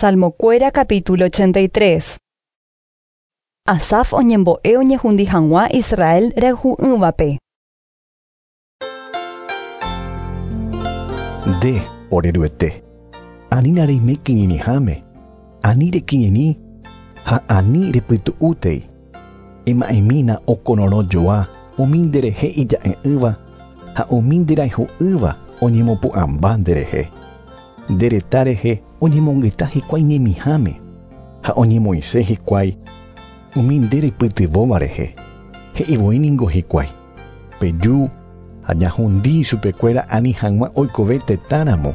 Salmokuéra capítulo 83. Asaf oñembo'e oñehundi hag̃ua Israel rayhu'ỹvape. Nde, ore Ruete, anína reime kirirĩháme, ani rekirirĩ ha ani repytu'útei. Ema'ẽmína okororõ joa umi nderehe ija'e'ỹva ha umi nderayhu'ỹva oñemopu'ãmba nderehe. Nde reta rehe oñemongeta hikuái ñemiháme ha oñemoĩse hikuái umi nde reipytyvõva rehe. He'ivoi ningo hikuái, Peju ha ñahundi ichupekuéra ani hag̃ua oikove tetãramo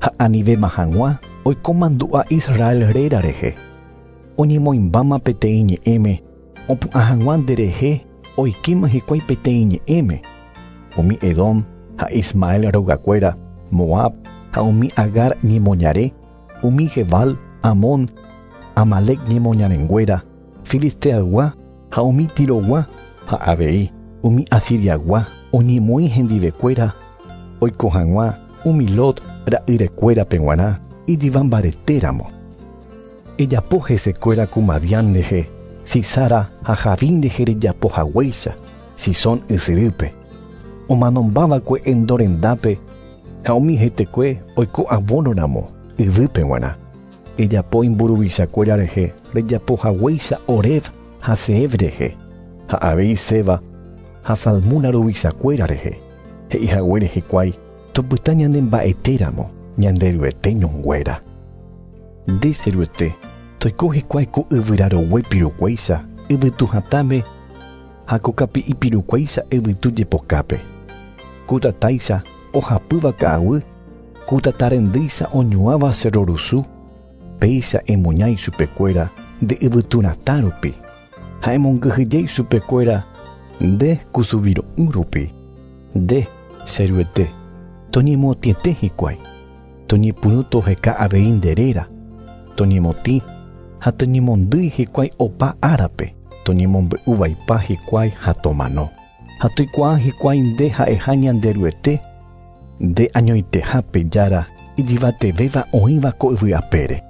ha anivéma hag̃ua oiko mandu'a Israel réra rehe. Oñemoĩmbáma peteĩ ñe'ẽme opu'ã hag̃ua nderehe oikéma hikuái peteĩ ñe'ẽme. Umi Edom ha Ismael rogakuéra, Moab ha umi Agar ñemoñare, umi Gebal, Amón, Amalec ñemoñarenguéra, Filisteaygua ha umi Tirogua ha avei umi Asiriagua oñemoĩ hendivekuéra oiko hag̃ua umi Lot ra'yrekuérape g̃uarã ijyva mbaretéramo. Ejapo hesekuéra ku Madián rehe, Sísara ha Jabín rehe rejapo haguéicha, Cisón ysyrýpe. Omanombava'ekue Endor rendápe ha umi hetekue oiko avónoramo yvýpe g̃uarã. Ejapo imburuvichakuéra rehe rejapo haguéicha Oreb ha Zeeb rehe, ha avei Zeba ha Zalmuna ruvichakuéra rehe, he'i haguére hikuái topyta ñane mba'etéramo Ñanderuete ñonguéra. Nde, che Ruete, toiko hikuái ku yvyra rogue pirukuéicha yvytu hatãme ha ko kapi'i pirukuéicha yvytu jepokápe. Ku tatáicha ohapýva ka'aguy, ku tata rendýicha oñuãva cerro rusu, péicha emuña ichupekuéra nde yvytu ratã rupi, ha emongyhyje ichupekuéra nde kusuviro'ỹ rupi. Nde, che Ruete, toñemotĩete hikuái, toñepyrũ toheka avei nde réra, toñemotĩ ha toñemondýi hikuái opa árape, toñemombe'u vaipa hikuái ha tomano. Ha toikuaa hikuái nde ha'eha Ñanderuete, nde añoiteha pe Jára ijyvatevéva oĩva ko yvy apére.